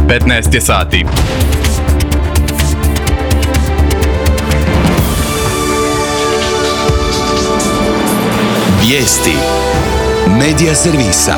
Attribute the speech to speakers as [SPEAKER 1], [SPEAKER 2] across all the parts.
[SPEAKER 1] 15 je sati.
[SPEAKER 2] Vijesti Medija servisa.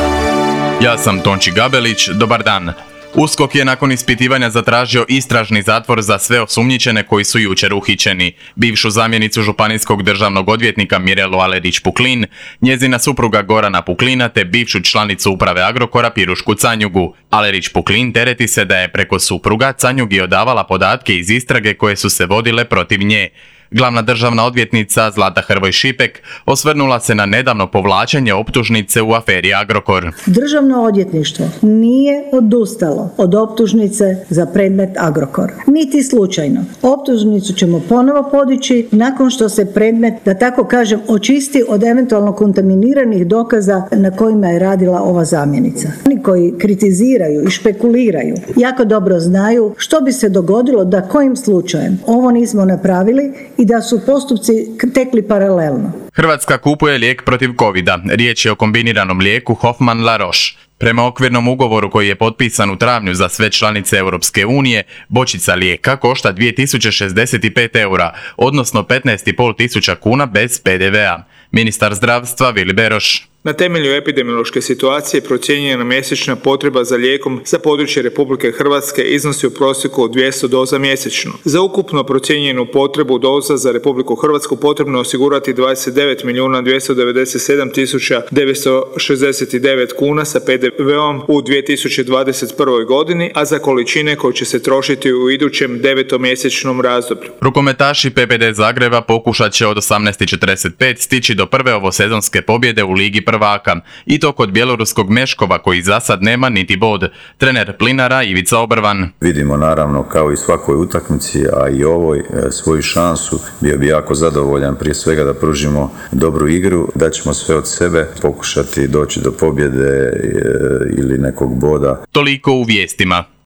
[SPEAKER 1] Ja sam Tonči Gabelić, dobar dan. USKOK je nakon ispitivanja zatražio istražni zatvor za sve osumnjičene koji su jučer uhićeni. Bivšu zamjenicu županijskog državnog odvjetnika Mirelu Alerić-Puklin, njezina supruga Gorana Puklina te bivšu članicu uprave Agrokora Pirušku Canjugu. Alerić-Puklin tereti se da je preko supruga Canjugi odavala podatke iz istrage koje su se vodile protiv nje. Glavna državna odvjetnica Zlata Hrvoj Šipek osvrnula se na nedavno povlačenje optužnice u aferi Agrokor.
[SPEAKER 3] Državno odvjetništvo nije odustalo od optužnice za predmet Agrokor. Niti slučajno. Optužnicu ćemo ponovo podići nakon što se predmet, da tako kažem, očisti od eventualno kontaminiranih dokaza na kojima je radila ova zamjenica. Oni koji kritiziraju i špekuliraju jako dobro znaju što bi se dogodilo da kojim slučajem ovo nismo napravili i da su postupci tekli paralelno.
[SPEAKER 1] Hrvatska kupuje lijek protiv covida. Riječ je o kombiniranom lijeku Hoffmann La Roche. Prema okvirnom ugovoru koji je potpisan u travnju za sve članice Europske unije, bočica lijeka košta 2065 eura, odnosno 15,5 tisuća kuna bez PDV-a. Ministar zdravstva Vili Beroš.
[SPEAKER 4] Na temelju epidemiološke situacije procijenjena mjesečna potreba za lijekom za područje Republike Hrvatske iznosi u prosjeku 200 doza mjesečno. Za ukupno procijenjenu potrebu doza za Republiku Hrvatsku potrebno je osigurati 29.297.969 kuna sa PDV-om u 2021. godini, a za količine koje će se trošiti u idućem 9-mjesečnom razdoblju.
[SPEAKER 1] Rukometaši PPD Zagreba pokušat će od 18:45 stići do prve ovosezonske pobjede u Ligi prvaka, i to kod bjeloruskog Meškova koji za sad nema niti bod. Trener Plinara Ivica Obrvan.
[SPEAKER 5] Vidimo naravno kao i svakoj utakmici, a i ovoj, svoju šansu. Bio bi jako zadovoljan prije svega da pružimo dobru igru, da ćemo sve od sebe pokušati doći do pobjede ili nekog boda.
[SPEAKER 1] Toliko u vijestima.